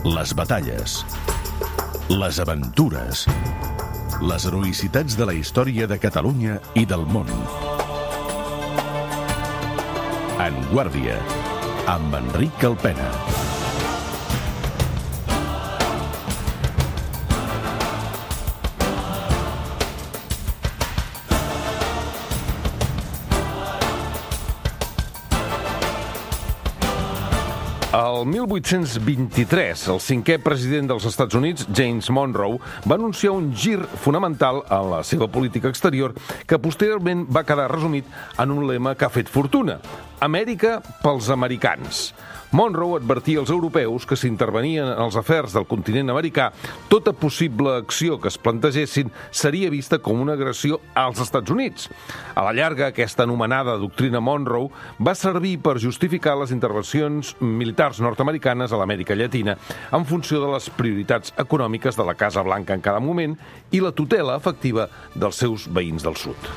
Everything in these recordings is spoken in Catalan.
Les batalles, les aventures, les heroïcitats de la història de Catalunya i del món. En Guàrdia, amb Enric Calpena. El 1823, el cinquè president dels Estats Units, James Monroe, va anunciar un gir fonamental en la seva política exterior que posteriorment va quedar resumit en un lema que ha fet fortuna: Amèrica pels americans. Monroe advertia als europeus que si intervenien en els afers del continent americà, tota possible acció que es plantegessin seria vista com una agressió als Estats Units. A la llarga, aquesta anomenada doctrina Monroe va servir per justificar les intervencions militars nord-americanes a l'Amèrica Llatina en funció de les prioritats econòmiques de la Casa Blanca en cada moment i la tutela efectiva dels seus veïns del sud.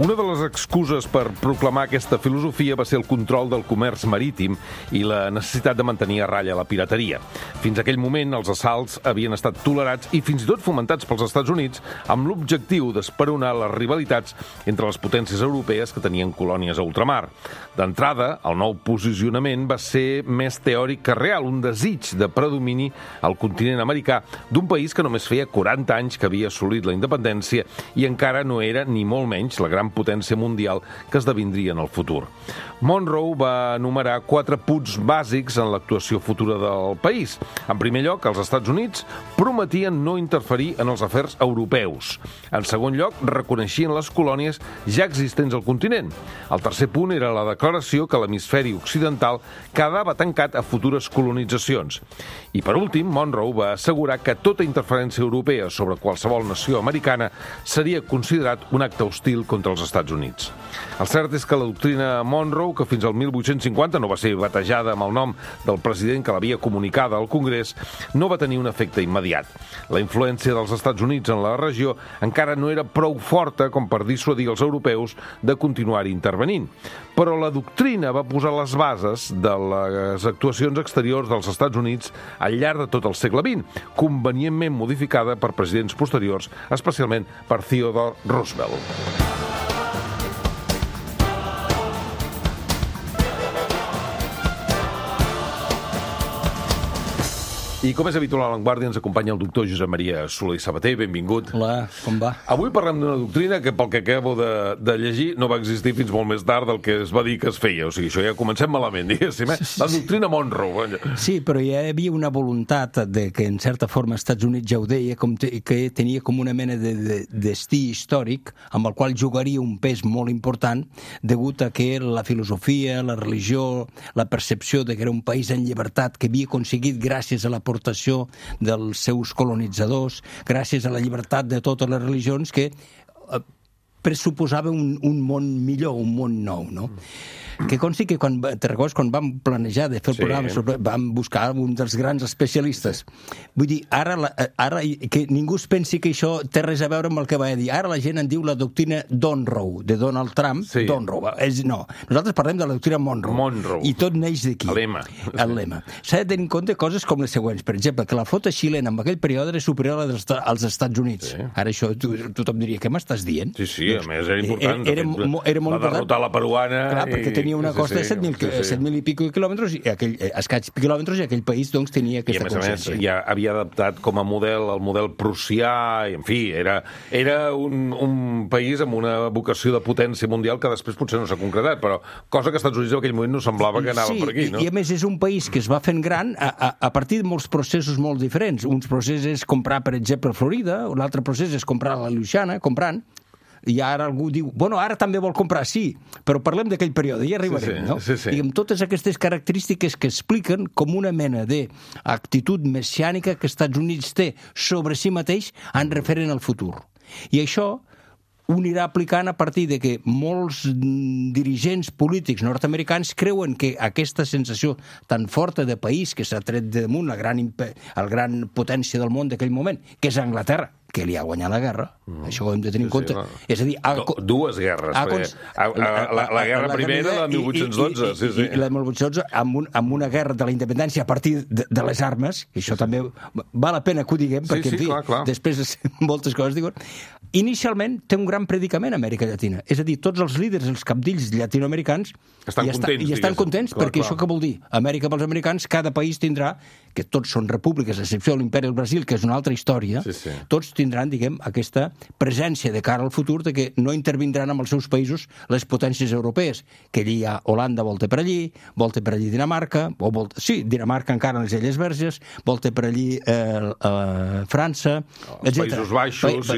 Una de les excuses per proclamar aquesta filosofia va ser el control del comerç marítim i la necessitat de mantenir a ratlla la pirateria. Fins a aquell moment, els assalts havien estat tolerats i fins i tot fomentats pels Estats Units amb l'objectiu d'esperonar les rivalitats entre les potències europees que tenien colònies a ultramar. D'entrada, el nou posicionament va ser més teòric que real, un desig de predomini al continent americà d'un país que només feia 40 anys que havia assolit la independència i encara no era, ni molt menys, la gran potència mundial que esdevindria en el futur. Monroe va enumerar 4 punts bàsics en l'actuació futura del país. En primer lloc, els Estats Units prometien no interferir en els afers europeus. En segon lloc, reconeixien les colònies ja existents al continent. El tercer punt era la declaració que l'hemisferi occidental quedava tancat a futures colonitzacions. I per últim, Monroe va assegurar que tota interferència europea sobre qualsevol nació americana seria considerat un acte hostil contra els Estats Units. El cert és que la doctrina Monroe, que fins al 1850 no va ser batejada amb el nom del president que l'havia comunicada al Congrés, no va tenir un efecte immediat. La influència dels Estats Units en la regió encara no era prou forta com per dissuadir els europeus de continuar intervenint. Però la doctrina va posar les bases de les actuacions exteriors dels Estats Units al llarg de tot el segle XX, convenientment modificada per presidents posteriors, especialment per Theodore Roosevelt. I com és habitual a l'Avantguàrdia, ens acompanya el doctor Josep Maria Soler i Sabater. Benvingut. Hola, com va? Avui parlem d'una doctrina que, pel que acabo de llegir, no va existir fins molt més tard del que es va dir que es feia. O sigui, això ja comencem malament, diguéssim, eh? La doctrina Monroe. Sí, però hi havia una voluntat de que, en certa forma, els Estats Units ja ho deia, que tenia com una mena de destí històric amb el qual jugaria un pes molt important degut a que la filosofia, la religió, la percepció de que era un país en llibertat que havia aconseguit gràcies a la aportació dels seus colonitzadors, gràcies a la llibertat de totes les religions, que pressuposava un món millor, un món nou, no? Que consti que te recordes quan vam planejar de fer el programa, vam buscar un dels grans especialistes. Vull dir, ara que ningú es pensi que això té res a veure amb el que va dir. Ara la gent en diu la doctrina Monroe, de Donald Trump. Sí. Monroe. No, nosaltres parlem de la doctrina Monroe. I tot neix d'aquí. El lema. S'ha de tenir en compte coses com les següents. Per exemple, que la flota xilena en aquell període era superior als Estats Units. Sí. Ara això tothom diria, què m'estàs dient? Sí, a més era important. Era molt important. Va derrotar la peruana. Clar, perquè tenia una costa de 7.000 i pico quilòmetres, escaig quilòmetres, i aquell país doncs tenia aquesta consciència. I a més, ja havia adaptat com a model el model prussià, i en fi, era un país amb una vocació de potència mundial que després potser no s'ha concretat, però cosa que als Estats Units en aquell moment no semblava que anava per aquí, no? I a més és un país que es va fent gran a partir de molts processos molt diferents. Uns processos és comprar, per exemple, Florida, un altre procés és comprar la Louisiana, comprant, i ara algú diu, bueno, ara també vol comprar, sí, però parlem d'aquell període, ja arribarem, no? I amb totes aquestes característiques que expliquen com una mena d'actitud messiànica que Estats Units té sobre si mateix en referent al futur. I això ho anirà aplicant a partir de que molts dirigents polítics nord-americans creuen que aquesta sensació tan forta de país que s'ha tret damunt la gran potència del món d'aquell moment, que és Anglaterra, que li ha guanyat la guerra, això ho hem de tenir en compte. És a dir, dues guerres. La guerra primera, la de 1812. I la de 1812, amb una guerra de la independència a partir de les armes, i això també val la pena que ho diguem, perquè, en fi, després moltes coses diuen. Inicialment té un gran predicament a Amèrica Llatina. És a dir, tots els líders, els capdills llatinoamericans estan contents, perquè això què vol dir? Amèrica pels americans, cada país tindrà, que tots són repúbliques, a excepció de l'Imperi del Brasil, que és una altra història, tots tindran, diguem, aquesta presència de cara al futur de que no intervindran amb els seus països les potències europees, que allí hi ha Holanda, volta per allí Dinamarca, Dinamarca encara en les Illes Verges, volta per allí França, els Països Baixos,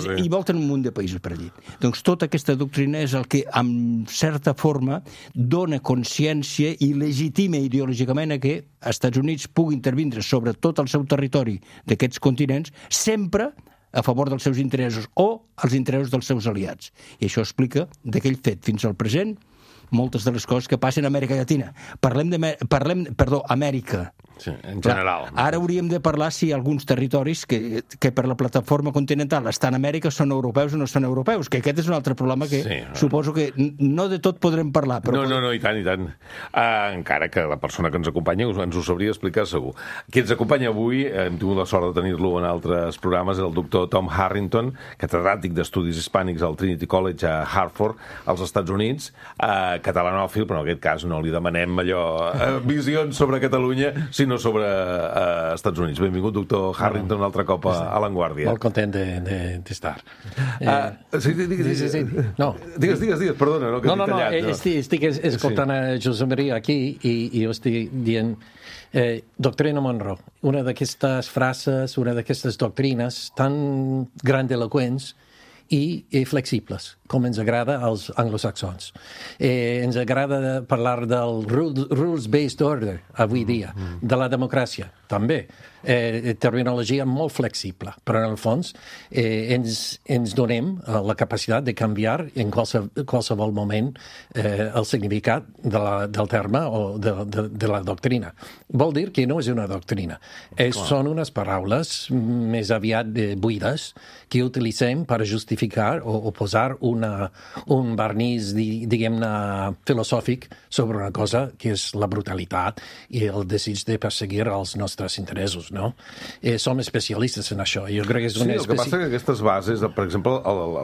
i volten un munt de països per allí. Doncs tota aquesta doctrina és el que, amb certa forma, dona consciència i legitima ideològicament a que Estats Units pugui intervindre sobre tot el seu territori d'aquests continents, sempre a favor dels seus interessos o els interessos dels seus aliats. I això explica d'aquell fet fins al present moltes de les coses que passen a Amèrica Llatina. Amèrica. Sí, en general. Ara hauríem de parlar si alguns territoris que per la plataforma continental estan a Amèrica són europeus o no són europeus, que aquest és un altre problema que suposo que no de tot podrem parlar. Però No, i tant. Encara que la persona que ens acompanya ens ho sabria explicar segur. Qui ens acompanya avui, hem tingut la sort de tenir-lo en altres programes, és el doctor Tom Harrington, catedràtic d'Estudis Hispànics al Trinity College a Hartford, als Estats Units, catalanòfil, però en aquest cas no li demanem visions sobre Catalunya, sinó sobre Estats Units. Benvingut, doctor Harrington, un altre cop a L'Enguàrdia. Molt content d'estar. Sí. No. Digues, perdona, que t'he tallat. Estic escoltant a Josep Maria aquí i jo estic dient doctrina Monroe, una d'aquestes frases, una d'aquestes doctrines tan grandiloquents i flexibles, com ens agrada als anglosaxons. Ens agrada parlar del rules-based order avui dia, de la democràcia, també. Terminologia molt flexible, però en el fons ens donem la capacitat de canviar en qualsevol moment el significat del terme o de la doctrina. Vol dir que no és una doctrina. Són unes paraules més aviat buides que utilitzem per justificar o posar un vernís, diguem-ne, filosòfic sobre una cosa que és la brutalitat i el desig de perseguir els nostres interessos, no? Som especialistes en això. Jo crec que és el que passa que aquestes bases, per exemple,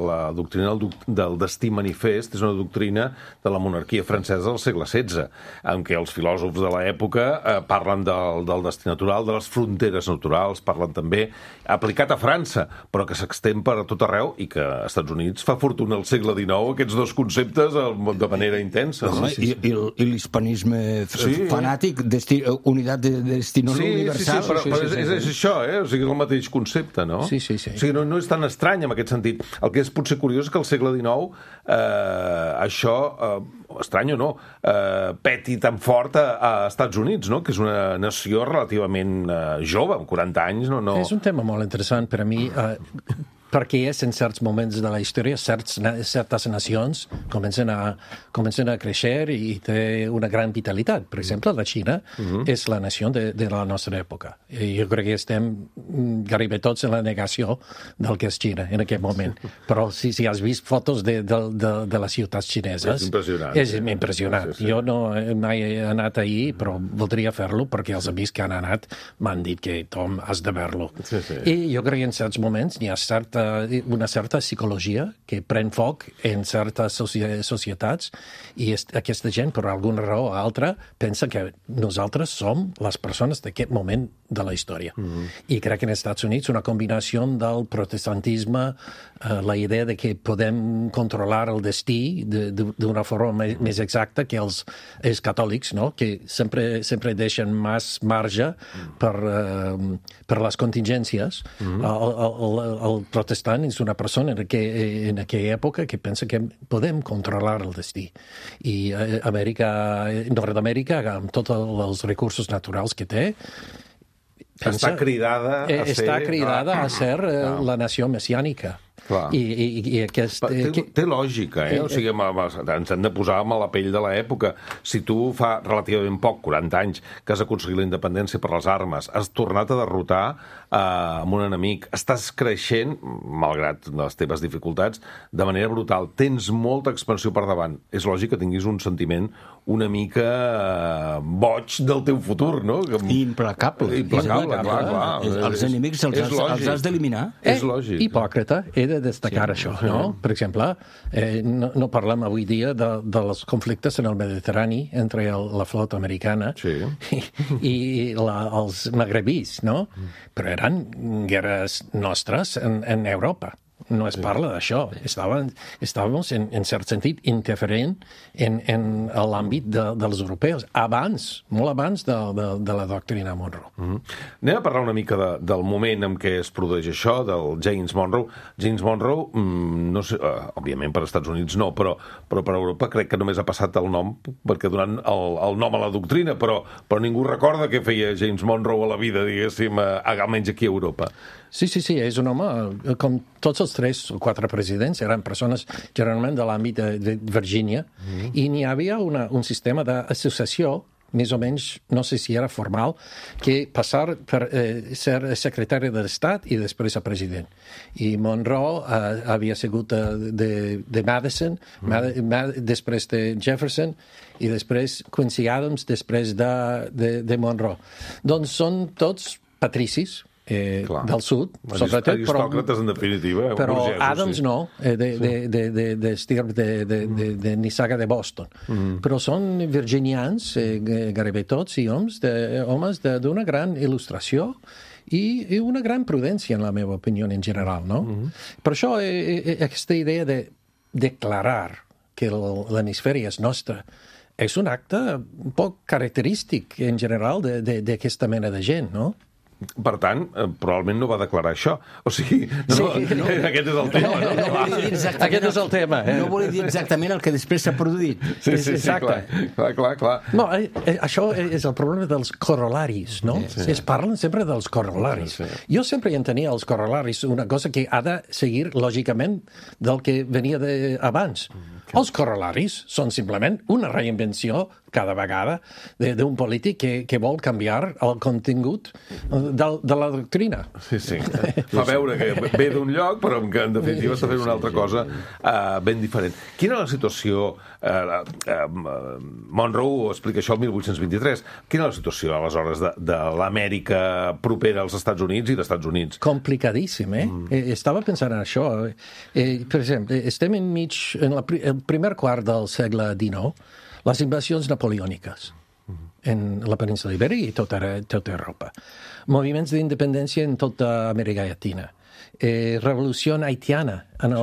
la doctrina del destí manifest és una doctrina de la monarquia francesa del segle XVI, en què els filòsofs de l'època parlen del destí natural, de les fronteres naturals, parlen també, aplicat a França, però que s'extén per tot arreu i que als Estats Units fa fortuna al segle XIX aquests dos conceptes de manera intensa. I l'hispanisme fanàtic, unitat de destino universal. Sí, però és això, o sigui, és el mateix concepte, no? Sí. O sigui, no és tan estrany en aquest sentit. El que és potser curiós és que al segle XIX això, estrany o no, peti tan fort a Estats Units, no? Que és una nació relativament jove, amb 40 anys. És un tema molt interessant per a mi, perquè en certs moments de la història certes nacions comencen a créixer i té una gran vitalitat. Per exemple, la Xina és la nació de la nostra època. I jo crec que estem gairebé tots en la negació del que és Xina en aquest moment. Però si has vist fotos de les ciutats xineses... És impressionant. Sí. Jo no mai he anat ahir, però voldria fer-lo perquè els amics que han anat m'han dit que, Tom, has de veure-lo. I jo crec que en certs moments hi ha una certa psicologia que pren foc en certes societats i aquesta gent, per alguna raó o altra, pensa que nosaltres som les persones d'aquest moment de la història. I crec que en els Estats Units una combinació del protestantisme, la idea de que podem controlar el destí d'una forma més exacta que els catòlics, no? Que sempre deixen més marge per les contingències. El protestant és una persona en aquella època que pensa que podem controlar el destí. I Nord-Amèrica, amb tots els recursos naturals que té, està cridada a ser la nació messiànica. Clar. I té lògica, O sigui, ens hem de posar a la pell de l'època. Si tu fa relativament poc, 40 anys, que has aconseguit la independència per les armes, has tornat a derrotar amb un enemic, estàs creixent, malgrat les teves dificultats, de manera brutal. Tens molta expansió per davant. És lògic que tinguis un sentiment una mica boig del teu futur, no? Implacable. Clar. Els enemics els has d'eliminar. És lògic. Hipòcrita, he de destacar això, no? Per exemple, no parlem avui dia dels conflictes en el Mediterrani entre la flota americana i els magrebís, no? Però eren guerres nostres en Europa. No es parla d'això. Estàvem, en cert sentit, interferint en l'àmbit dels europeus, molt abans de la doctrina Monroe. Anem a parlar una mica del moment en què es produeix això, del James Monroe. James Monroe, no sé, òbviament per als Estats Units no, però per Europa crec que només ha passat el nom, perquè donant el nom a la doctrina, però ningú recorda què feia James Monroe a la vida, diguéssim, almenys aquí a Europa. Sí, és un home, com tots els 3 o 4 presidents, eren persones generalment de l'àmbit de Virgínia, i n'hi havia un sistema d'associació, més o menys, no sé si era formal, que passar per ser secretari de l'Estat i després a president. I Monroe havia sigut de Madison, després de Jefferson, i després Quincy Adams, després de Monroe. Doncs són tots patricis, del sud, sobretot, aristòcrates, en definitiva, però burgesos, Adams no, d'estirp de Nissaga de Boston. Però són virginians, gairebé tots, i homes d'una gran il·lustració i una gran prudència, en la meva opinió, en general, no? Per això, aquesta idea de declarar que l'hemisferi és nostre és un acte poc característic, en general, d'aquesta mena de gent, no? Per tant, probablement no va declarar això. O sigui, aquest és el tema. Aquest és el tema. No volia dir exactament el que després s'ha produït. Sí, clar. No, això és el problema dels corolaris, no? Es parlen sempre dels corolaris. Jo sempre entenia els corolaris una cosa que ha de seguir, lògicament, del que venia abans. Els corolaris són simplement una reinvenció cada vegada d'un polític que vol canviar el contingut de la doctrina. Sí. Fa veure que ve d'un lloc, però que en definitiva està fent una altra cosa ben diferent. Quina era la situació... Monroe explica això el 1823. Quina era la situació, aleshores, de l'Amèrica propera als Estats Units i dels Estats Units? Complicadíssim, Estava pensant en això. Per exemple, estem enmig, en el primer quart del segle XIX, les invasions napoleòniques en la península Ibèrica i tota Europa. Moviments d'independència en tota Amèrica Llatina. Revolució haitiana en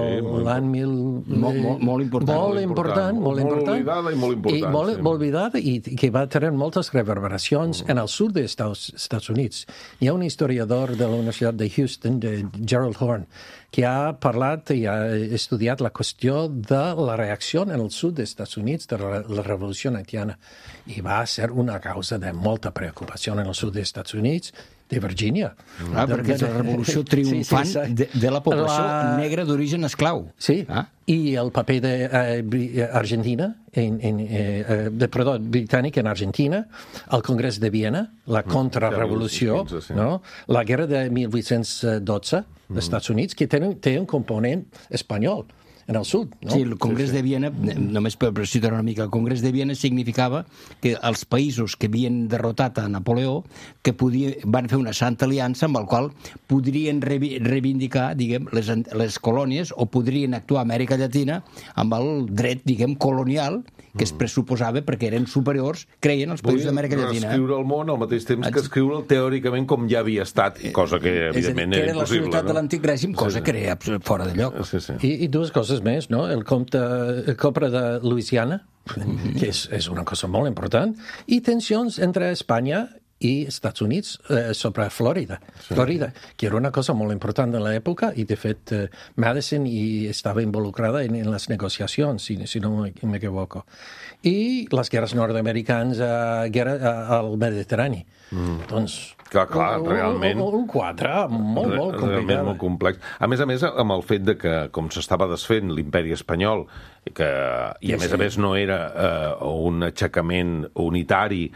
l'any 1000... Molt important. Molt oblidada i molt important. Molt oblidada i que va tenir moltes reverberacions en el sud dels Estats Units. Hi ha un historiador de la Universitat de Houston, de Gerald Horne, que ha parlat i ha estudiat la qüestió de la reacció en el sud dels Estats Units de la revolució haitiana. I va ser una causa de molta preocupació en el sud dels Estats Units, de Virgínia. Perquè és la revolució triomfant de la població negra d'origen esclau. Sí, i el paper d'Argentina, britànic en Argentina, el Congrés de Viena, la contrarrevolució, la guerra de 1812 dels Estats Units, que té un component espanyol en el sud, no? Sí, el Congrés de Viena, només per citar una mica, el Congrés de Viena significava que els països que havien derrotat a Napoleó van fer una santa aliança amb el qual podrien reivindicar, diguem, les colònies o podrien actuar a Amèrica Llatina amb el dret, diguem, colonial que es pressuposava perquè eren superiors, creien, els països d'Amèrica Llatina. Reescriure el món al mateix temps que escriure'l teòricament com ja havia estat, cosa que evidentment era impossible. Que era la societat de l'antic règim, cosa que era fora de lloc. I dues coses més, no? El compte de Louisiana, que és una cosa molt important, i tensions entre Espanya i Estats Units sobre Florida, que era una cosa molt important de l'època i, de fet, Madison estava involucrada en les negociacions, si no m'equivoco. I les guerres nord-americanes al Mediterrani. Doncs... Clar, realment... Un quadre molt complicat. Realment molt complex. A més, amb el fet de que, com s'estava desfent l'imperi espanyol, i a més no era un aixecament unitari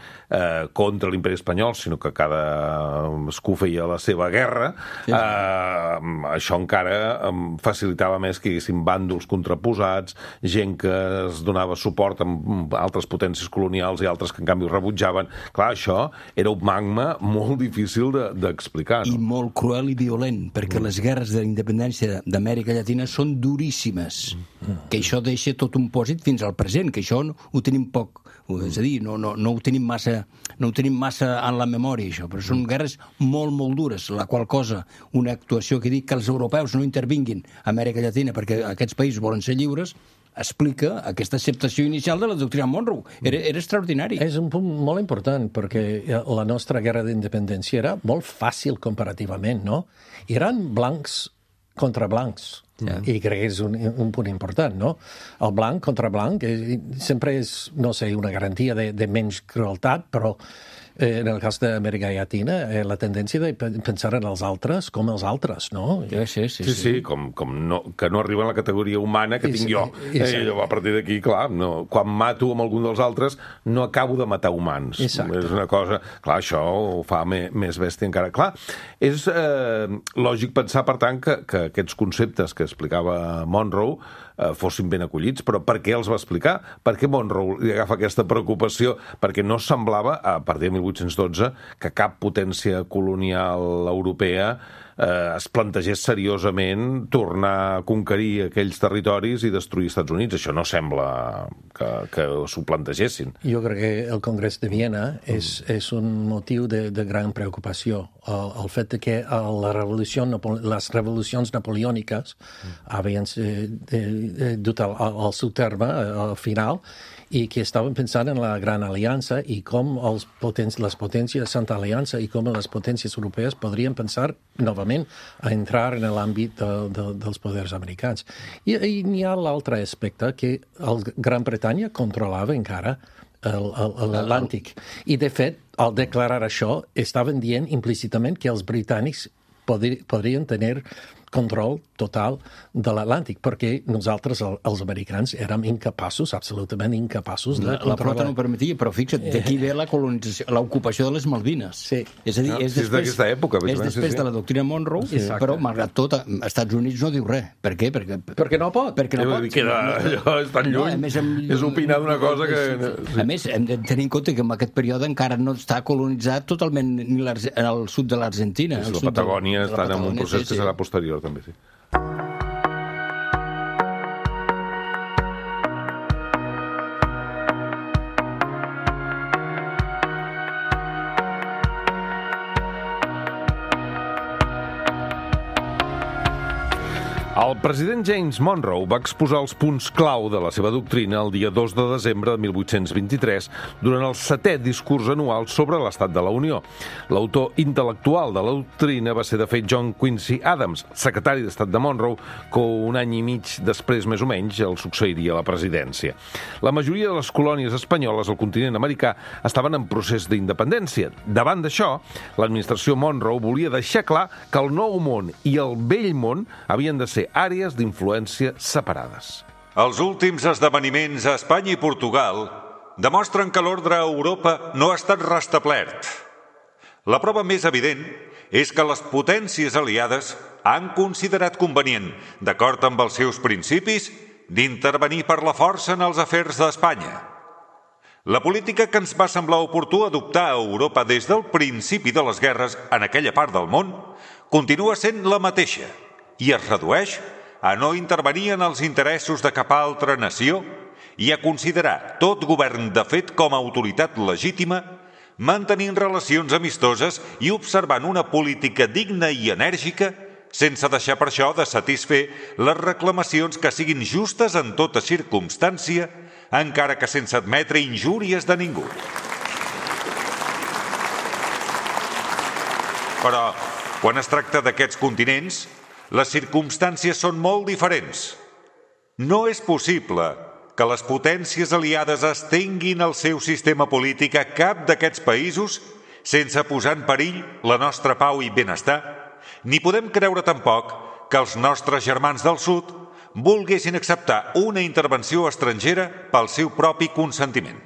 contra l'imperi espanyol, sinó que cadascú feia la seva guerra, això encara facilitava més que hi haguessin bàndols contraposats, gent que es donava suport amb altres potències colonials i altres que en canvi ho rebutjaven. Clar, això era un magma molt difícil d'explicar. I molt cruel i violent, perquè les guerres de la independència d'Amèrica Llatina són duríssimes, que això deixa tot un pòsit fins al present, que això ho tenim poc, és a dir, no ho tenim massa en la memòria, això, però són guerres molt dures, la qual cosa, una actuació que dic que els europeus no intervinguin a Amèrica Llatina perquè aquests països volen ser lliures, explica aquesta acceptació inicial de la doctrina Monroe. Era extraordinari. És un punt molt important, perquè la nostra guerra d'independència era molt fàcil comparativament, no? Eren blancs contra blancs. I crec que és un punt important, no? El blanc contra blanc sempre és, no sé, una garantia de menys crueltat, però en el cas d'Amèrica Llatina, la tendència de pensar en els altres com els altres, no? Sí, com que no arriba a la categoria humana que tinc jo. A partir d'aquí, clar, quan mato amb algun dels altres, no acabo de matar humans. Exacte. És una cosa... Clar, això ho fa més bèstia encara. Clar, és lògic pensar, per tant, que aquests conceptes que explicava Monroe fossin ben acollits, però per què els va explicar? Per què Monroe li agafa aquesta preocupació? Perquè no semblava, a partir de 1812, que cap potència colonial europea es plantegés seriosament tornar a conquerir aquells territoris i destruir els Estats Units. Això no sembla que s'ho plantegessin. Jo crec que el Congrés de Viena és un motiu de gran preocupació. El fet que les revolucions napoleòniques havien dut al seu terme al final i que estaven pensant en la Gran Aliança i com les potències de Santa Aliança i com les potències europees podrien pensar novament a entrar en l'àmbit dels poders americans. I n'hi ha l'altre aspecte que Gran Bretanya controlava encara l'Atlàntic. I, de fet, al declarar això, estaven dient implícitament que els britànics podrien tenir control total de l'Atlàntic, perquè nosaltres, els americans, érem incapaços, absolutament incapaços de controlar. La flota no ho permetia, però fixa't, d'aquí ve la colonització, l'ocupació de les Malvines. Sí. És a dir, és d'aquesta època. És després de la doctrina Monroe, però, malgrat tot, als Estats Units no diu res. Per què? Perquè no pot. Perquè no pot. Allò és tan lluny. És opinar d'una cosa que... A més, hem de tenir en compte que en aquest període encara no està colonitzat totalment ni al sud de l'Argentina. La Patagònia està en un procés que serà posterior, també, sí. El president James Monroe va exposar els punts clau de la seva doctrina el dia 2 de desembre de 1823 durant el 7è discurs anual sobre l'estat de la Unió. L'autor intel·lectual de la doctrina va ser, de fet, John Quincy Adams, secretari d'Estat de Monroe, que un any i mig després, més o menys, el succeiria a la presidència. La majoria de les colònies espanyoles al continent americà estaven en procés d'independència. Davant d'això, l'administració Monroe volia deixar clar que el Nou Món i el Vell Món havien de ser àrees d'influència separades. Els últims esdeveniments a Espanya i Portugal demostren que l'ordre a Europa no ha estat restablert. La prova més evident és que les potències aliades han considerat convenient, d'acord amb els seus principis, d'intervenir per la força en els afers d'Espanya. La política que ens va semblar oportú adoptar a Europa des del principi de les guerres en aquella part del món continua sent la mateixa i es redueix a no intervenir en els interessos de cap altra nació i a considerar tot govern de fet com a autoritat legítima, mantenint relacions amistoses i observant una política digna i enèrgica, sense deixar per això de satisfer les reclamacions que siguin justes en tota circumstància, encara que sense admetre injúries de ningú. Però, quan es tracta d'aquests continents, les circumstàncies són molt diferents. No és possible que les potències aliades estenguin el seu sistema polític a cap d'aquests països sense posar en perill la nostra pau i benestar, ni podem creure tampoc que els nostres germans del sud volguessin acceptar una intervenció estrangera pel seu propi consentiment.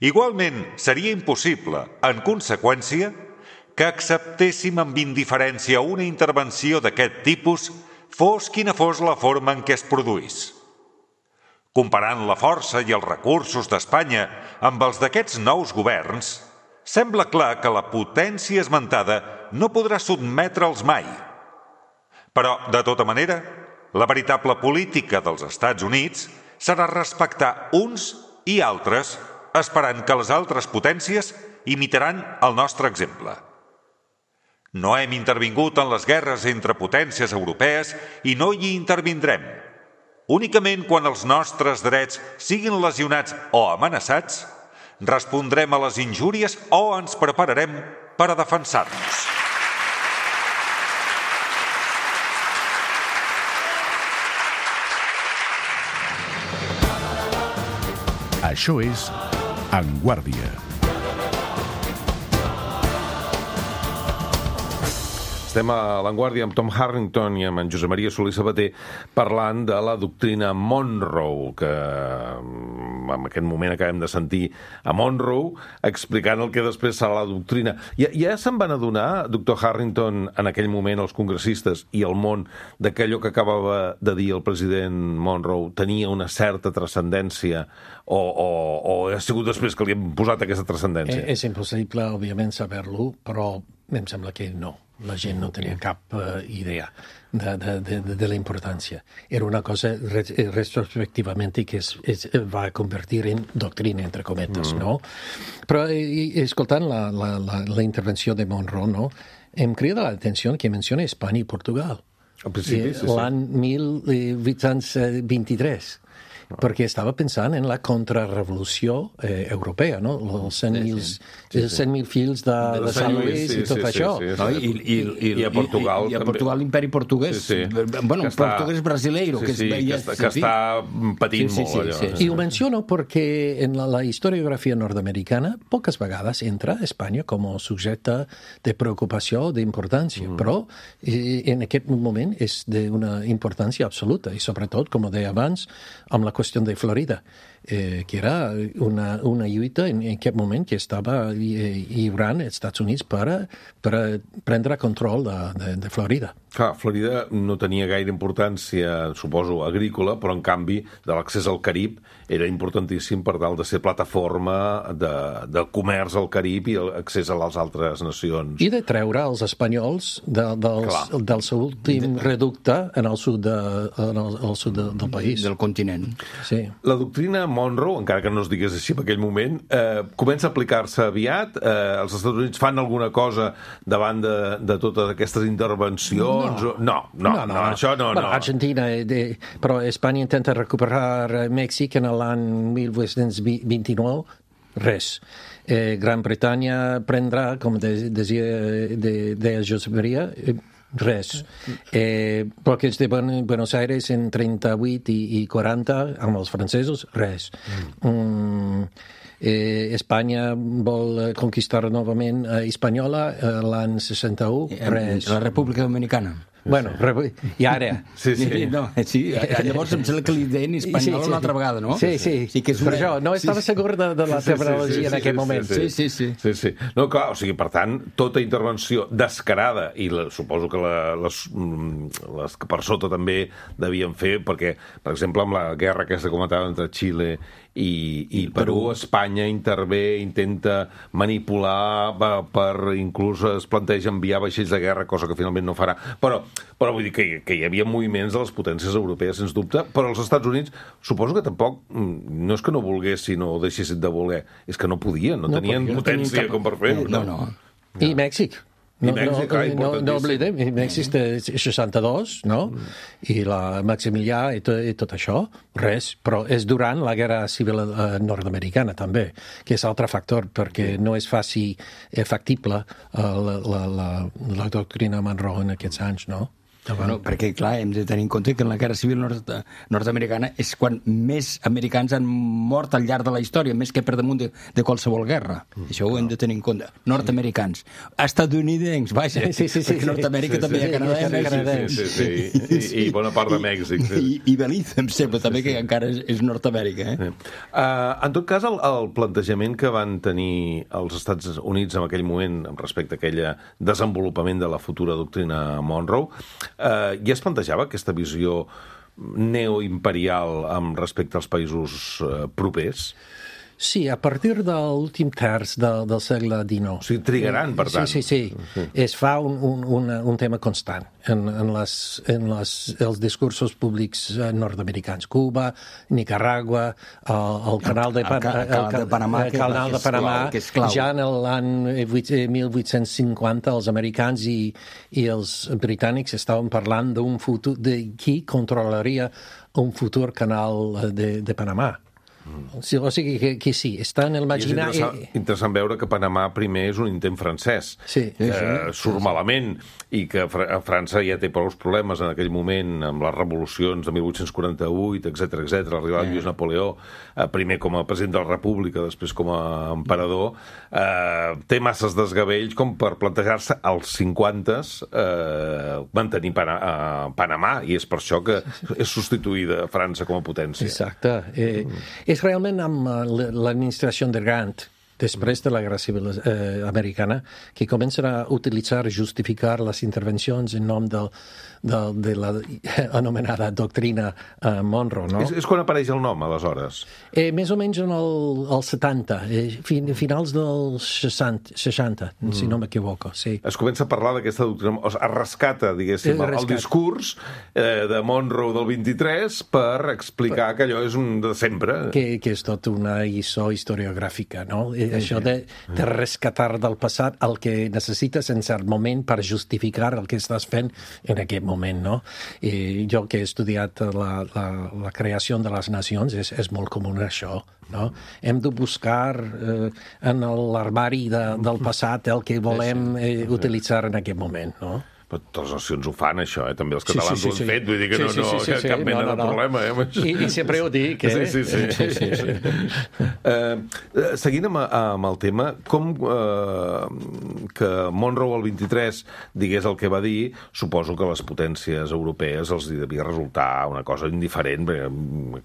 Igualment, seria impossible, en conseqüència, que acceptéssim amb indiferència una intervenció d'aquest tipus, fos quina fos la forma en què es produís. Comparant la força i els recursos d'Espanya amb els d'aquests nous governs, sembla clar que la potència esmentada no podrà sotmetre'ls mai. Però, de tota manera, la veritable política dels Estats Units serà respectar uns i altres, esperant que les altres potències imitaran el nostre exemple. No hem intervingut en les guerres entre potències europees i no hi intervindrem. Únicament quan els nostres drets siguin lesionats o amenaçats, respondrem a les injúries o ens prepararem per a defensar-nos. Això és En Guàrdia. Estem a l'Avantguàrdia amb Tom Harrington i amb en Josep Maria Solé Sabater parlant de la doctrina Monroe, que en aquest moment acabem de sentir a Monroe explicant el que després serà la doctrina. Ja se'n van adonar, doctor Harrington, en aquell moment els congressistes i el món, que allò que acabava de dir el president Monroe tenia una certa transcendència o ha sigut després que li hem posat aquesta transcendència? És impossible, òbviament, saber-lo, però em sembla que no. La gent no tenia cap idea de la importància. Era una cosa retrospectivament que es va convertir en doctrina, entre cometes, no? Però escoltant la intervenció de Monroe, no, em crida l'atenció que menciona Espanya i Portugal. Al principi, sí. L'any 1823. Perquè estava pensant en la contrarrevolució europea, no? Els 100.000 fills de Sant Lluís i tot això. I a Portugal també. I a Portugal l'imperi portuguès. Bueno, portuguès brasileiro. Que està patint molt. I ho menciono perquè en la historiografia nord-americana poques vegades entra Espanya com a subjecte de preocupació, d'importància, però en aquest moment és d'una importància absoluta i sobretot, com deia abans, amb la qüestió de Florida, que era una lluita en aquest moment que estava lliurant els Estats Units per prendre control de Florida. Clar, Florida no tenia gaire importància, suposo, agrícola, però en canvi de l'accés al Carib era importantíssim per tal de ser plataforma de comerç al Carib i l'accés a les altres nacions. I de treure els espanyols del seu últim reducte en el sud del país. Del continent. Sí. La doctrina Monroe, encara que no es digués així en aquell moment, comença a aplicar-se aviat? Els Estats Units fan alguna cosa davant de totes aquestes intervencions? No, això no. Bueno, Argentina, però Espanya intenta recuperar Mèxic en l'any 1829, res. Gran Bretanya prendrà, com deia Josep Maria, res. Bloqueig de Buenos Aires en 38 i 40 amb els francesos, res. Espanya vol conquistar novament Hispaniola l'any 61, res. La República Dominicana. Bueno, i ara... Sí. Llavors em sembla que li deien Hispaniola una altra vegada, no? Sí. Per això, no estava segur de la terminologia en aquest moment. Sí. No, clar, o sigui, per tant, tota intervenció descarada, i suposo que les que per sota també devien fer, perquè, per exemple, amb la guerra que s'ha comentat entre Xile i Perú, Espanya intervé, intenta manipular, inclús es planteja enviar vaixells de guerra, cosa que finalment no farà. Però vull dir que hi havia moviments de les potències europees, sens dubte, però els Estats Units suposo que tampoc, no és que no volguessin o deixessin de voler, és que no podien, no tenien potència com per fer-ho. No. I Mèxic? I Mèxic, no oblidem, Mèxic té 62, no? I la Maximilià i tot això, res, però és durant la Guerra Civil nord-americana també, que és altre factor, perquè no és factible la doctrina Monroe en aquests anys, no? Bueno, perquè, clar, hem de tenir en compte que en la Guerra Civil nord-americana és quan més americans han mort al llarg de la història, més que per damunt de qualsevol guerra. Això ho hem de tenir en compte. Nord-americans. Estatunidencs, vaja, perquè Nord-amèrica també hi ha canadencs. Sí. I bona part de Mèxic. I Belize, em sembla també que encara és Nord-amèrica. En tot cas, el plantejament que van tenir els Estats Units en aquell moment respecte a aquell desenvolupament de la futura doctrina Monroe, ja es plantejava aquesta visió neoimperial amb respecte als països propers? Sí, a partir de l'últim terç del segle XIX. O sigui, trigaran, per tant. Sí. Es fa un tema constant en els discursos públics nord-americans. Cuba, Nicaragua, el canal de Panamà, que és clau. Ja en l'any 1850 els americans i els britànics estaven parlant d'un futur, de qui controlaria un futur canal de Panamà. O sigui que sí, està en el imaginari... És interessant veure que Panamà primer és un intent francès, que surt malament i que França ja té prou problemes en aquell moment amb les revolucions de 1848, etc. Arribar Lluís Napoleó, primer com a president de la República, després com a emperador, té masses desgavells com per plantejar-se als 50s mantenir Panamà, i és per això que és substituïda França com a potència. Exacte. És realment amb l'administració de Grant, després de la Guerra Civil americana, que comencen a utilitzar, justificar les intervencions en nom de la anomenada doctrina Monroe, no? És quan apareix el nom, aleshores? Més o menys en el 70, finals dels 60, si no m'equivoco, sí. Es comença a parlar d'aquesta doctrina, es rescata, diguéssim, el discurs de Monroe del 23 per explicar que allò és un de sempre. Que és tot una lliçó historiogràfica, no? Això de rescatar del passat el que necessites en cert moment per justificar el que estàs fent en aquest moment, no? I jo que he estudiat la creació de les nacions, és molt comú això, no? Hem de buscar en l'armari del passat el que volem utilitzar en aquest moment, no? Però totes les nacions ho fan, això, també els catalans ho han fet, vull dir que cap mena de problema. I sempre ho dic, Sí. Seguint amb el tema, com que Monroe el 23 digués el que va dir, suposo que les potències europees els devia resultar una cosa indiferent,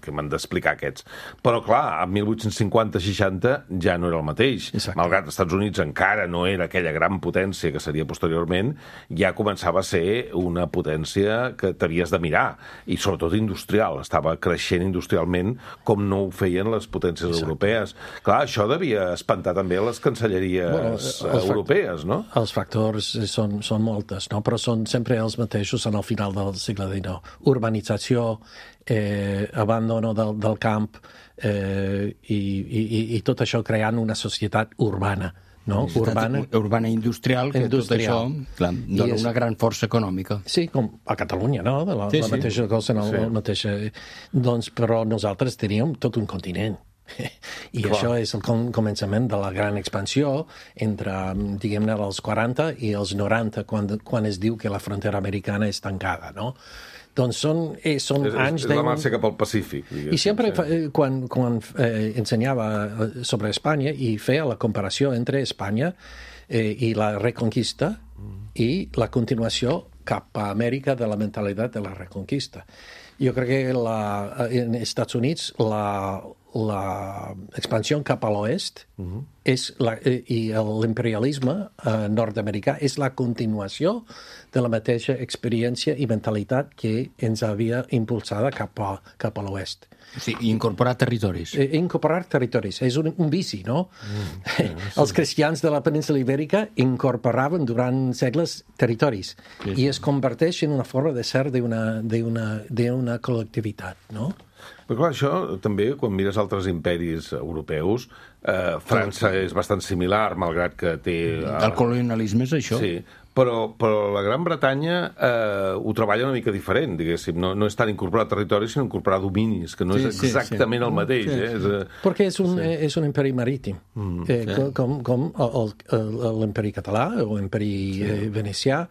que m'han d'explicar aquests. Però, clar, a 1850-60 ja no era el mateix. Malgrat els Estats Units encara no era aquella gran potència que seria posteriorment, ja començava a ser una potència que t'havies de mirar, i sobretot industrial. Estava creixent industrialment com no ho feien les potències europees. Clar, això devia espantar també les cancelleries europees, no? Els factors són moltes, no? Però són sempre els mateixos en el final del segle XIX. Urbanització, abandono del camp i tot això creant una societat urbana. No? Urbana industrial, que tot això dona una gran força econòmica. Sí, com a Catalunya, no? La mateixa cosa, el mateix... Doncs, però nosaltres teníem tot un continent. I això és el començament de la gran expansió entre, diguem-ne, els 40 i els 90, quan es diu que la frontera americana és tancada, no? Doncs són anys... És la marxa cap al Pacífic. I sempre, quan ensenyava sobre Espanya i feia la comparació entre Espanya i la Reconquista i la continuació cap a Amèrica de la mentalitat de la Reconquista. Jo crec que en Estats Units l'expansió cap a l'oest i l'imperialisme nord-americà és la continuació de la mateixa experiència i mentalitat que ens havia impulsada cap a l'oest. Sí, incorporar territoris. Incorporar territoris. És un vici, no? Els cristians de la península Ibèrica incorporaven durant segles territoris i es converteix en una forma de ser d'una col·lectivitat, no? Però clar, això també, quan mires altres imperis europeus, França és bastant similar, malgrat que té... El colonialisme és això. Sí, però la Gran Bretanya ho treballa una mica diferent, diguéssim. No és tant incorporar territori, sinó incorporar dominis, que no és exactament el mateix. Perquè és un imperi marítim, com l'imperi català o l'imperi venecià.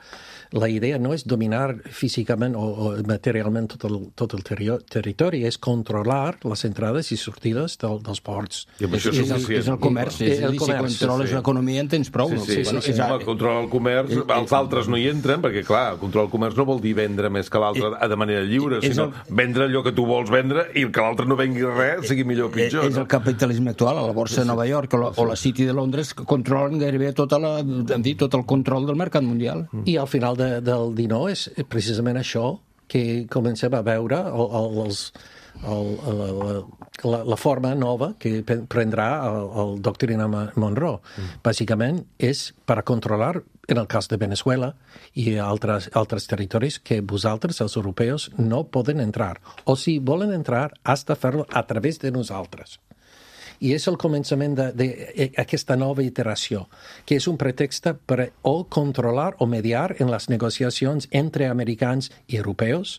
La idea no és dominar físicament o materialment tot el territori, és controlar les entrades i sortides dels ports. És el comerç. És a dir, si controles l'economia en tens prou. Controlar el comerç, els altres no hi entren, perquè, clar, controlar el comerç no vol dir vendre més que l'altre de manera lliure, sinó vendre allò que tu vols vendre i que l'altre no vengui res, sigui millor o pitjor. És el capitalisme actual. A la borsa de Nova York o la City de Londres controlen gairebé tot el control del mercat mundial. I al final del 19 és precisament això que comencem a veure la forma nova que prendrà el doctrina Monroe. Bàsicament és per a controlar, en el cas de Venezuela i altres territoris, que vosaltres, els europeus, no poden entrar. O si volen entrar, has de fer-lo a través de nosaltres. I és el començament d'aquesta nova iteració, que és un pretext per o controlar o mediar en les negociacions entre americans i europeus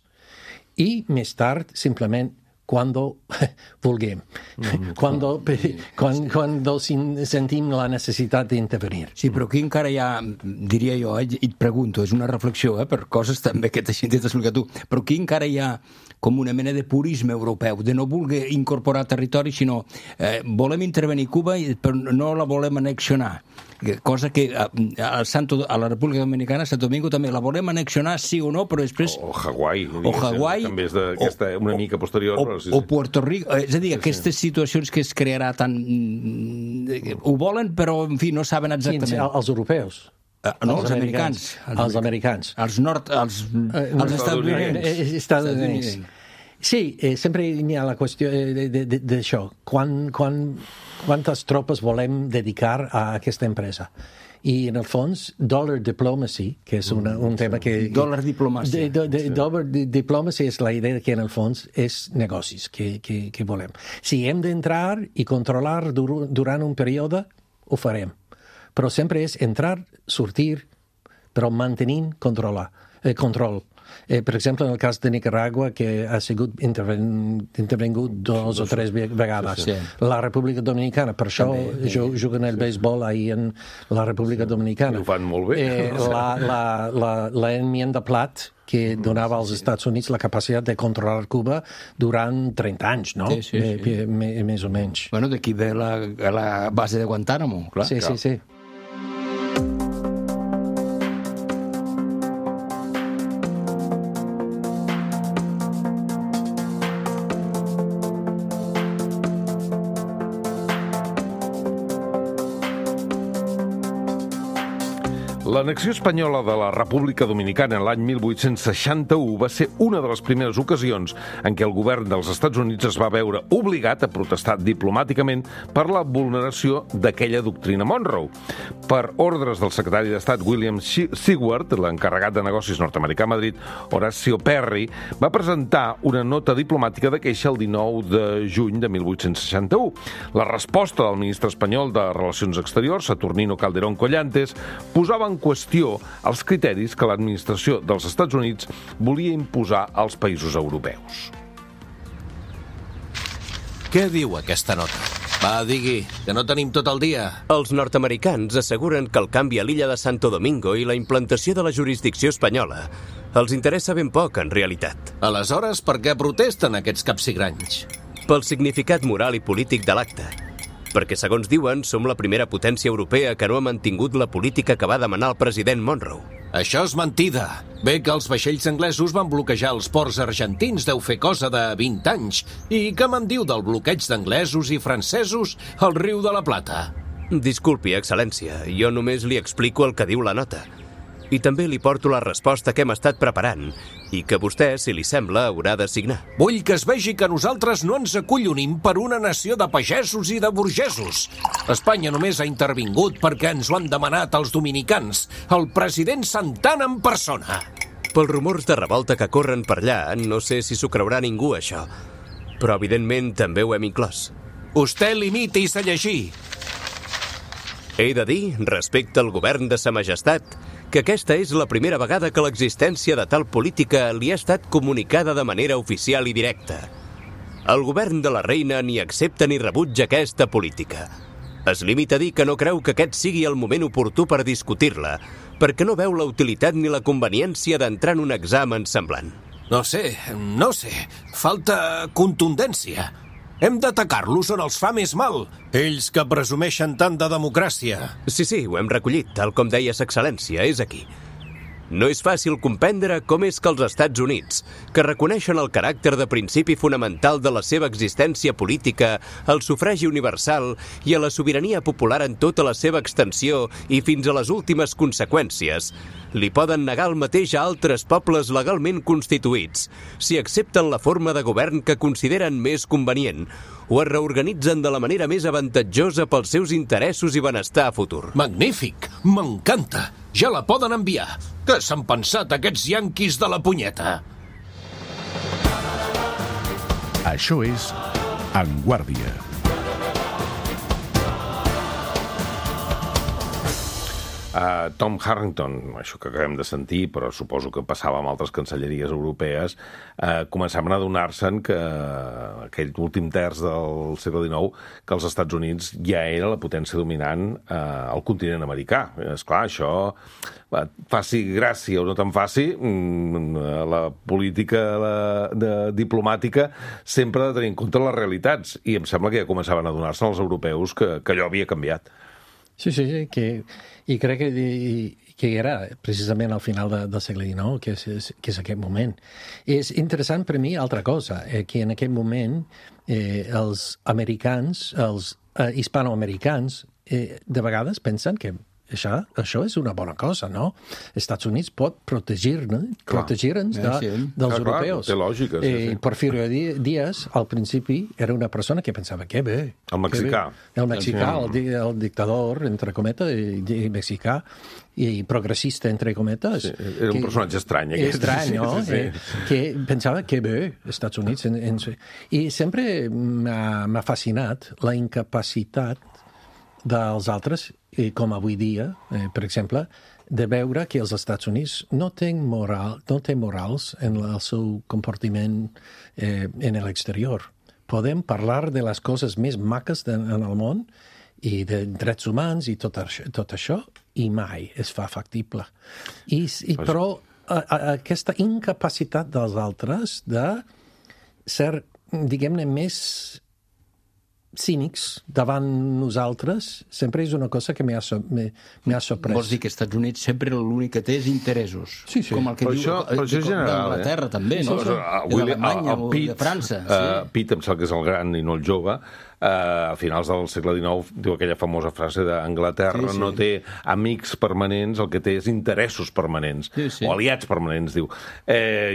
i més tard, simplement, quan vulguem, quan sentim la necessitat d'intervenir. Sí, però aquí encara hi ha, diria jo, i et pregunto, és una reflexió, per coses també que t'has explicat tu, però aquí encara hi ha com una mena de purisme europeu, de no voler incorporar territori, sinó volem intervenir Cuba però no la volem annexionar. Cosa que a la República Dominicana, a Santo Domingo, també la volem annexionar, sí o no, però després... O Hawaii. També és una mica posterior. O Puerto Rico. És a dir, aquestes situacions que es crearà tan... Ho volen, però, en fi, no saben exactament. Els europeus. No, els americans. Els americans. Els Estats Units. Sí, sempre hi ha la qüestió d'això. Quantes tropes volem dedicar a aquesta empresa? I, en el fons, dollar diplomacy, que és un tema que... Dollar diplomàcia. Dollar diplomacy és la idea que, en el fons, és negocis que volem. Si hem d'entrar i controlar durant un període, ho farem. Però sempre és entrar, sortir, però mantenint control. Per exemple, en el cas de Nicaragua, que ha sigut intervengut 2 o 3 vegades. La República Dominicana, per això juguen el béisbol ahir en la República Dominicana. Ho fan molt bé. L'enmienda Platt, que donava als Estats Units la capacitat de controlar Cuba durant 30 anys, no? Sí. Més o menys. Bueno, d'aquí ve la base de Guantánamo, clar. Sí. L'annexió espanyola de la República Dominicana en l'any 1861 va ser una de les primeres ocasions en què el govern dels Estats Units es va veure obligat a protestar diplomàticament per la vulneració d'aquella doctrina Monroe. Per ordres del secretari d'Estat William Seward, l'encarregat de negocis nord-americà a Madrid, Horacio Perry, va presentar una nota diplomàtica de queixa el 19 de juny de 1861. La resposta del ministre espanyol de Relacions Exteriors, Saturnino Calderón Collantes, posava en qüestió els criteris que l'administració dels Estats Units volia imposar als països europeus. Què diu aquesta nota? Va, digui, que no tenim tot el dia. Els nord-americans asseguren que el canvi a l'illa de Santo Domingo i la implantació de la jurisdicció espanyola els interessa ben poc, en realitat. Aleshores, per què protesten aquests capsigranys? Pel significat moral i polític de l'acte. Perquè, segons diuen, som la primera potència europea que no ha mantingut la política que va demanar el president Monroe. Això és mentida. Bé que els vaixells anglesos van bloquejar els ports argentins, deu fer cosa de 20 anys. I què me'n diu del bloqueig d'anglesos i francesos al riu de la Plata? Disculpi, excel·lència, jo només li explico el que diu la nota. I també li porto la resposta que hem estat preparant i que vostè, si li sembla, haurà de signar. Vull que es vegi que nosaltres no ens acollonim per una nació de pagesos i de burgesos. Espanya només ha intervingut perquè ens ho han demanat els dominicans, el president Santana en persona. Pels rumors de revolta que corren per allà, no sé si s'ho creurà ningú, això. Però, evidentment, també ho hem inclòs. Vostè limiti-se a llegir. He de dir, respecte al govern de Sa Majestat, que aquesta és la primera vegada que l'existència de tal política li ha estat comunicada de manera oficial i directa. El govern de la reina ni accepta ni rebutja aquesta política. Es limita a dir que no creu que aquest sigui el moment oportú per discutir-la, perquè no veu la utilitat ni la conveniència d'entrar en un examen semblant. No sé. Falta contundència. Hem d'atacar-los on els fa més mal. Ells que presumeixen tant de democràcia. Sí, ho hem recollit, tal com deia Sa Excel·lència, és aquí. No és fàcil comprendre com és que els Estats Units, que reconeixen el caràcter de principi fonamental de la seva existència política, al sufragi universal i a la sobirania popular en tota la seva extensió i fins a les últimes conseqüències, li poden negar el mateix a altres pobles legalment constituïts, si accepten la forma de govern que consideren més convenient, o es reorganitzen de la manera més avantatjosa pels seus interessos i benestar futur. Magnífic! M'encanta! Ja la poden enviar! Què s'han pensat aquests yanquis de la punyeta? Això és En Guàrdia. Tom Harrington, això que acabem de sentir, però suposo que passava amb altres cancelleries europees, començaven a adonar-se'n que aquell últim terç del segle XIX, que els Estats Units ja era la potència dominant al continent americà. Esclar, això, faci gràcia o no tan faci, la política diplomàtica sempre ha de tenir en compte les realitats, i em sembla que ja començaven a adonar-se els europeus que allò havia canviat. Sí, i crec que era precisament al final del segle XIX, que és aquest moment. És interessant per mi altra cosa, que en aquest moment els americans, els hispanoamericans, de vegades pensen que això és una bona cosa, no? Els Estats Units pot protegir-nos dels europeus. Té lògica. Porfirio Díaz, al principi, era una persona que pensava que bé. El mexicà. El mexicà, el dictador, entre cometes, mexicà, i progressista, entre cometes. Sí, era un personatge estrany. Estrany, no? Que pensava que bé, els Estats Units. I sempre m'ha fascinat la incapacitat dels altres, com avui dia, per exemple, de veure que els Estats Units no té morals en el seu comportament en l'exterior. Podem parlar de les coses més maques en el món i de drets humans i tot això, i mai es fa factible. Però aquesta incapacitat dels altres de ser, diguem-ne, més cínics davant nosaltres sempre és una cosa que m'ha sorprès. Vols dir que als Estats Units sempre l'únic que té és interessos. Sí. Com el que diu d'Anglaterra, també, no? D'Alemanya o de França. Pitt, em sembla que és el gran i no el jove, a finals del segle XIX diu aquella famosa frase d'Anglaterra no té amics permanents, el que té és interessos permanents, o aliats permanents, diu.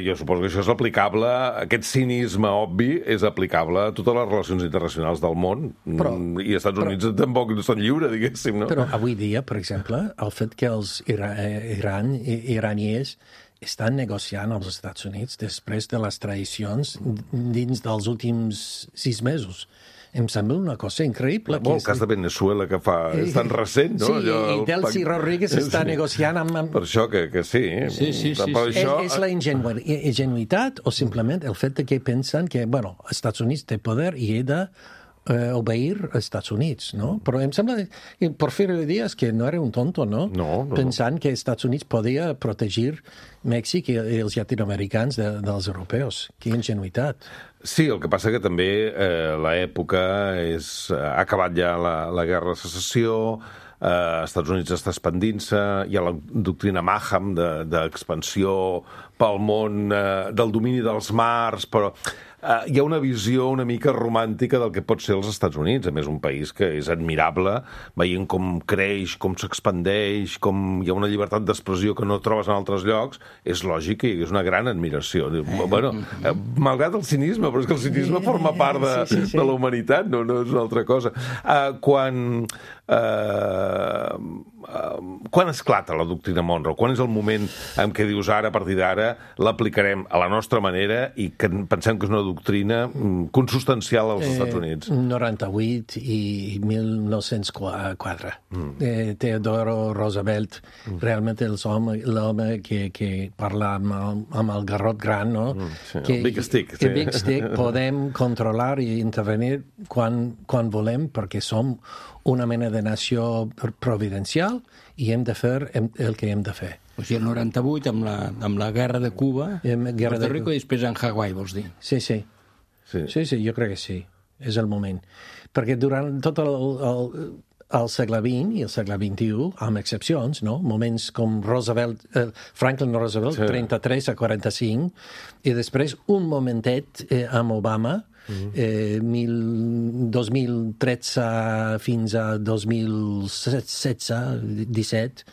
Jo suposo que això és aplicable, aquest cinisme obvi és aplicable a totes les relacions internacionals del món, i els Estats Units tampoc són lliures, diguéssim, no? Però avui dia, per exemple, el fet que els iranians estan negociant als Estats Units després de les traïcions dins dels últims 6 mesos. Em sembla una cosa increïble. El cas de Venezuela, que és tan recent, no? Sí, i Delcy Rodríguez està negociant amb... Per això que sí. És la ingenuïtat o simplement el fet que pensen que, bueno, els Estats Units té poder i he de obeir als Estats Units, no? Però em sembla que Porfirio Díaz que no era un tonto, no? No. Pensant que els Estats Units podia protegir Mèxic i els llatinoamericans dels europeus. Quina ingenuïtat. Sí, el que passa que també l'època ha acabat ja la guerra de secessió, als Estats Units està expandint-se, hi ha la doctrina Maham d'expansió pel món, del domini dels mars, però hi ha una visió una mica romàntica del que pot ser els Estats Units, a més un país que és admirable, veient com creix, com s'expandeix, com hi ha una llibertat d'expressió que no trobes en altres llocs, és lògic que hi hagués una gran admiració. Bueno, malgrat el cinisme, però és que el cinisme forma part de la humanitat, no és una altra cosa. Quan Quan esclata la doctrina Monroe? Quan és el moment en què dius ara, a partir d'ara, l'aplicarem a la nostra manera i que pensem que és una doctrina consustancial als Estats Units? 98 i 1904. Theodore Roosevelt, realment l'home que parla amb el garrot gran, no? El Big Stick. El Big Stick, podem controlar i intervenir quan volem, perquè som una mena de nació providencial i hem de fer el que hem de fer. O sigui, el 98, amb la guerra de Cuba, Puerto Rico i després en Hawaii, vols dir? Sí, jo crec que sí. És el moment. Perquè durant tot el segle XX i el segle XXI, amb excepcions, no? Moments com Franklin Roosevelt, 33 a 45, i després un momentet amb Obama, 2013 fins a 2016-17,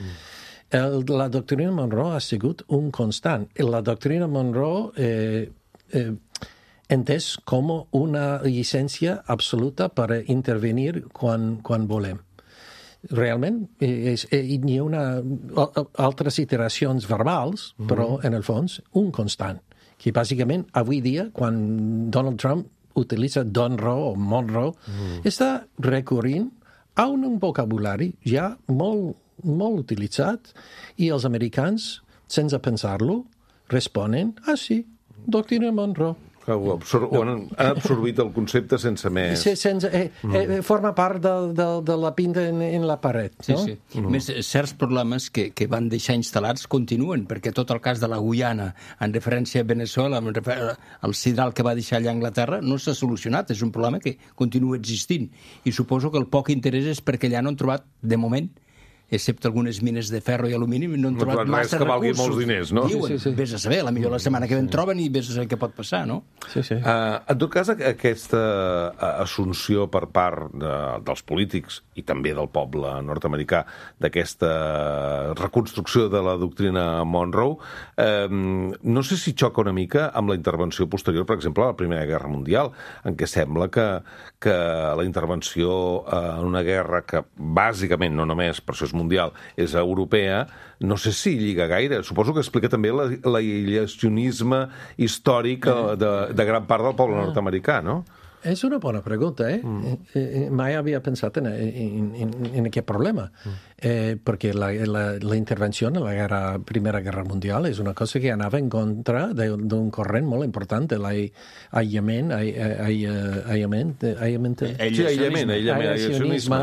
la doctrina Monroe ha sigut un constant. La doctrina Monroe entès com una llicència absoluta per intervenir quan volem. Realment, hi ha altres iteracions verbals, però, en el fons, un constant. Que, bàsicament, avui dia, quan Donald Trump utilitza Donroe o Monroe, està recorrent a un vocabulari ja molt utilitzat i els americans, sense pensar-lo, responen, sí, doctrina Monroe. Han absorbit el concepte sense més... Forma part de la pinta en la paret, no? Sí. Més certs problemes que van deixar instal·lats continuen, perquè tot el cas de la Guyana, en referència a Venezuela, el sidral que va deixar allà a Anglaterra, no s'ha solucionat. És un problema que continua existint. I suposo que el poc interès és perquè allà no han trobat, de moment, excepte algunes mines de ferro i alumini, no han trobat massa recursos. Que valgui molts diners, no? Diuen, vés a saber, potser la setmana que ve en troben i vés a saber què pot passar, no? Sí. En tot cas, aquesta assumpció per part dels polítics i també del poble nord-americà d'aquesta reconstrucció de la doctrina Monroe, no sé si xoca una mica amb la intervenció posterior, per exemple, a la Primera Guerra Mundial, en què sembla que la intervenció en una guerra que bàsicament, no només per això és mundial, és europea, no sé si lliga gaire. Suposo que explica també l'aïllacionisme històric de gran part del poble nord-americà, no? És una bona pregunta, Mai havia pensat en aquest problema, perquè la intervenció en la Primera Guerra Mundial és una cosa que anava en contra d'un corrent molt important, l'aïllacionisme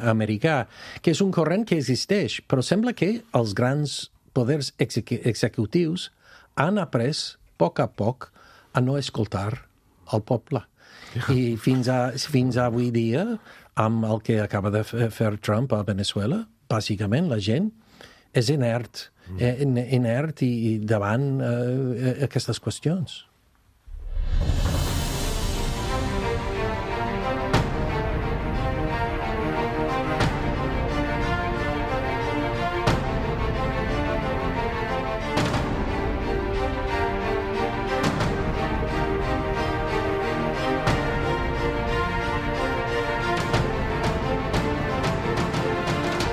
americà, que és un corrent que existeix, però sembla que els grans poders executius han après, a poc, a no escoltar el poble. I fins avui dia, amb el que acaba de fer Trump a Venezuela, bàsicament la gent és inert i davant aquestes qüestions.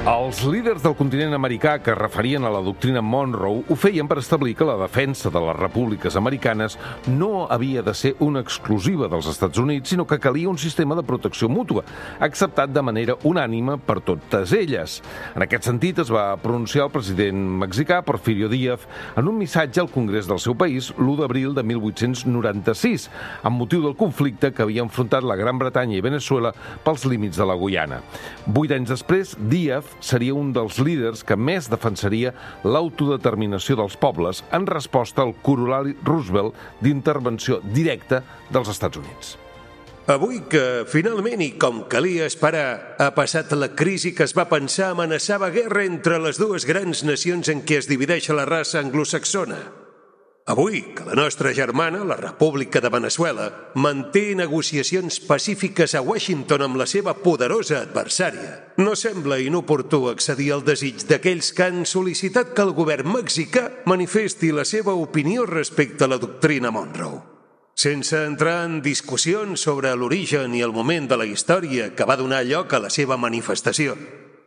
Els líders del continent americà que es referien a la doctrina Monroe ho feien per establir que la defensa de les repúbliques americanes no havia de ser una exclusiva dels Estats Units, sinó que calia un sistema de protecció mútua, acceptat de manera unànime per totes elles. En aquest sentit es va pronunciar el president mexicà Porfirio Díaz en un missatge al Congrés del seu país l'1 d'abril de 1896, amb motiu del conflicte que havia enfrontat la Gran Bretanya i Venezuela pels límits de la Guyana. 8 anys després, Díaz seria un dels líders que més defensaria l'autodeterminació dels pobles en resposta al corolari Roosevelt d'intervenció directa dels Estats Units. Avui que, finalment, i com calia esperar, ha passat la crisi que es va pensar amenaçava guerra entre les dues grans nacions en què es divideix la raça anglosaxona. Avui que la nostra germana, la República de Venezuela, manté negociacions pacífiques a Washington amb la seva poderosa adversària, no sembla inoportú accedir al desig d'aquells que han sol·licitat que el govern mexicà manifesti la seva opinió respecte a la doctrina Monroe. Sense entrar en discussions sobre l'origen i el moment de la història que va donar lloc a la seva manifestació,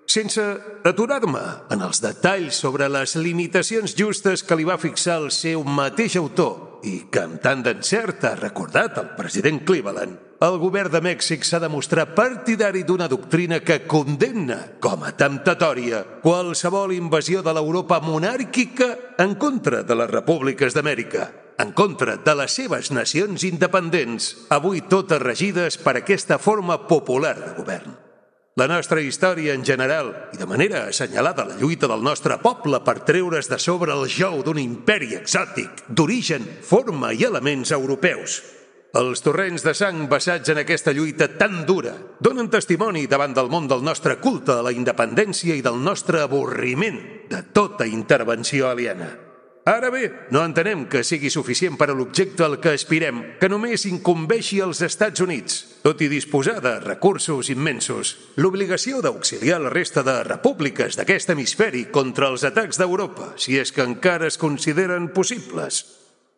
sense aturar-me en els detalls sobre les limitacions justes que li va fixar el seu mateix autor i que amb tant d'encert ha recordat el president Cleveland, el govern de Mèxic s'ha de mostrar partidari d'una doctrina que condemna com a temptatòria qualsevol invasió de l'Europa monàrquica en contra de les repúbliques d'Amèrica, en contra de les seves nacions independents, avui totes regides per aquesta forma popular de govern. La nostra història en general, i de manera assenyalada la lluita del nostre poble per treure's de sobre el jou d'un imperi exòtic, d'origen, forma i elements europeus. Els torrents de sang basats en aquesta lluita tan dura donen testimoni davant del món del nostre culte a la independència i del nostre avorriment de tota intervenció aliena. Ara bé, no entenem que sigui suficient per a l'objecte al que aspirem, que només incumbeixi als Estats Units, tot i disposar de recursos immensos, l'obligació d'auxiliar la resta de repúbliques d'aquest hemisferi contra els atacs d'Europa, si és que encara es consideren possibles,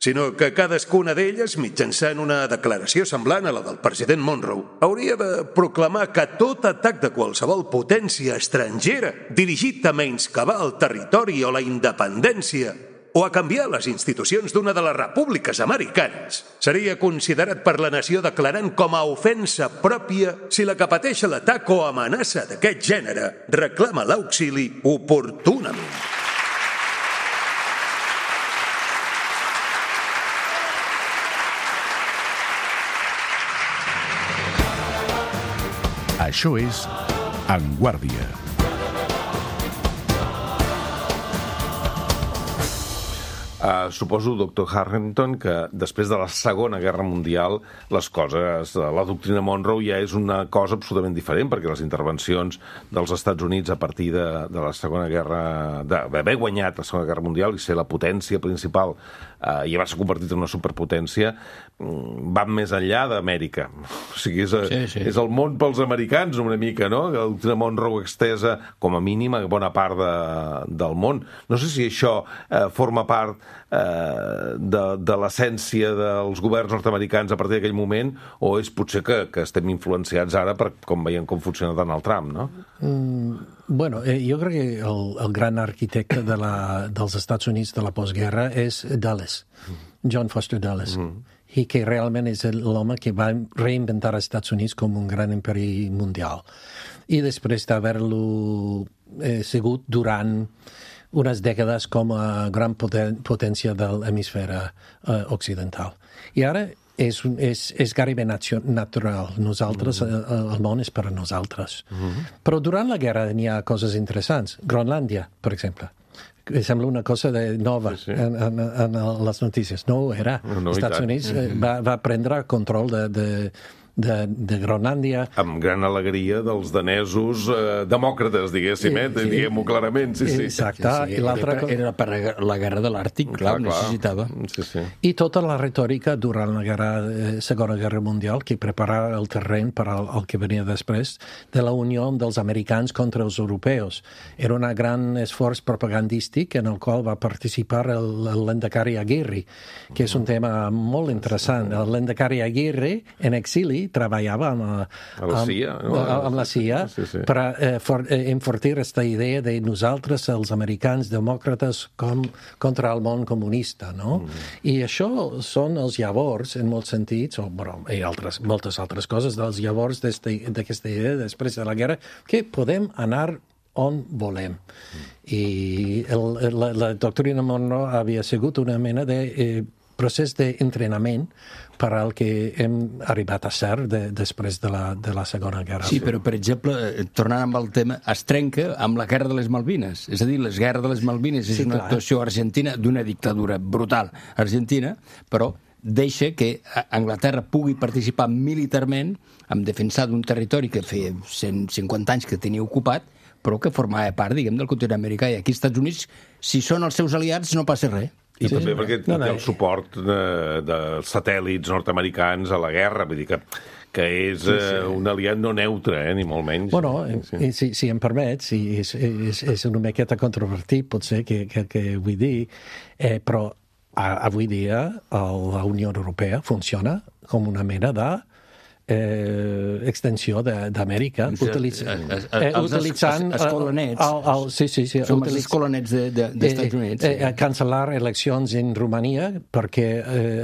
sinó que cadascuna d'elles, mitjançant una declaració semblant a la del president Monroe, hauria de proclamar que tot atac de qualsevol potència estrangera dirigit a menyscabar el territori o la independència o a canviar les institucions d'una de les repúbliques americanes seria considerat per la nació declarant com a ofensa pròpia si la que pateix l'atac o amenaça d'aquest gènere reclama l'auxili oportunament. Això és En Guàrdia. Suposo, doctor Harrington, que després de la Segona Guerra Mundial les coses, la doctrina Monroe ja és una cosa absolutament diferent, perquè les intervencions dels Estats Units a partir de la Segona Guerra, d'haver guanyat la Segona Guerra Mundial i ser la potència principal i haver-se convertit en una superpotència, van més enllà d'Amèrica. O sigui, és el món pels americans una mica, no? La doctrina Monroe extesa com a mínim a bona part del món. No sé si això forma part de l'essència dels governs nord-americans a partir d'aquell moment, o és potser que estem influenciats ara per com veiem com funciona Donald Trump, no? Bueno, jo crec que el gran arquitecte dels Estats Units de la postguerra és Dulles, John Foster Dulles, i que realment és l'home que va reinventar els Estats Units com un gran imperi mundial. I després d'haver-lo sigut durant unes dècades com a gran potència de l'hemisfera occidental. I ara és gairebé natural. Nosaltres, el món és per a nosaltres. Però durant la guerra n'hi ha coses interessants. Groenlàndia, per exemple. Sembla una cosa nova en les notícies. No ho era. Els Estats Units va prendre control de Groenlàndia. Amb gran alegria dels danesos demòcrates, diguéssim, diguem-ho clarament. Exacte. Era per la guerra de l'Àrtic, clar, necessitava. I tota la retòrica durant la Segona Guerra Mundial que preparava el terreny per al que venia després de la unió dels americans contra els europeus. Era un gran esforç propagandístic en el qual va participar l'Endacari Aguirre, que és un tema molt interessant. L'Endacari Aguirre, en exili, treballava amb la CIA per enfortir aquesta idea de nosaltres, els americans demòcrates, contra el món comunista, no? I això són els llavors, en molts sentits, i moltes altres coses, dels llavors d'aquesta idea després de la guerra, que podem anar on volem. I la doctrina Monroe havia sigut una mena de procés d'entrenament per al que hem arribat a ser després de la Segona Guerra. Sí, però, per exemple, tornant amb el tema, es trenca amb la Guerra de les Malvines. És a dir, la Guerra de les Malvines és una actuació argentina d'una dictadura brutal argentina, però deixa que Anglaterra pugui participar militarment en defensar d'un territori que feia 150 anys que tenia ocupat, però que formava part, diguem, del continent americà. I aquí als Estats Units, si són els seus aliats, no passa res. I també perquè té el suport de satèl·lits nord-americans a la guerra, vull dir que és un aliat no neutre, ni molt menys. Bueno, si em permets, és una miqueta controvertit, potser, que vull dir, però avui dia la Unió Europea funciona com una mena de extensió d'Amèrica, utilitzant... Escolanets. Som els escolanets d'Estats Units. Cancel·lar eleccions en Romania perquè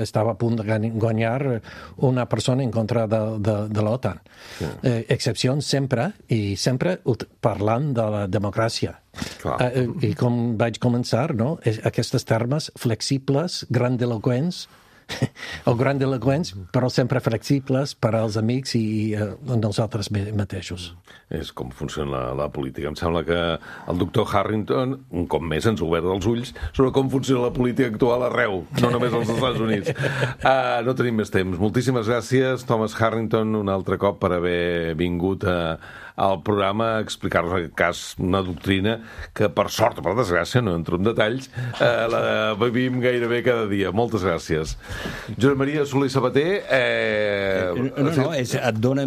estava a punt de guanyar una persona en contra de l'OTAN. Excepcions sempre, i sempre parlant de la democràcia. I com vaig començar, no? Aquests termes flexibles, grandiloquents, però sempre flexibles per als amics i nosaltres mateixos. És com funciona la política. Em sembla que el doctor Harrington, un cop més, ens ha obert els ulls sobre com funciona la política actual arreu, no només als Estats Units. No tenim més temps. Moltíssimes gràcies, Thomas Harrington, un altre cop per haver vingut al programa a explicar-nos en aquest cas una doctrina que, per sort o per desgràcia, no entro en detalls, la vivim gairebé cada dia. Moltes gràcies. Josep Maria Soler i Sabater... et dona...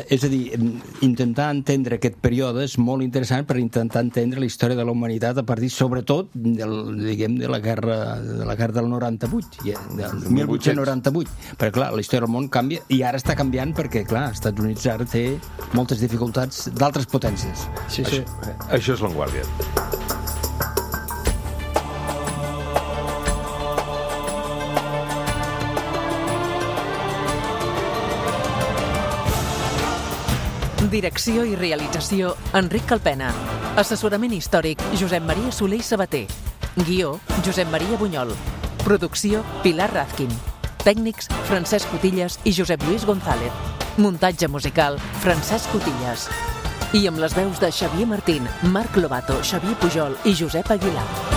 És a dir, intentar entendre aquest període és molt interessant per intentar entendre la història de la humanitat a partir, sobretot, de la guerra del 98, del 1898. Perquè, clar, la història del món canvia, i ara està canviant perquè, clar, els Estats Units ara té moltes dificultats d'altres potències. Sí. Això és l'Avantguàrdia. Direcció i realització, Enric Calpena. Assessorament històric, Josep Maria Soler i Sabater. Guió, Josep Maria Bunyol. Producció, Pilar Razkin. Tècnics, Francesc Cotillas i Josep Lluís González. Muntatge musical, Francesc Cotillas. I amb les veus de Xavier Martín, Marc Lobato, Xavier Pujol i Josep Aguilar.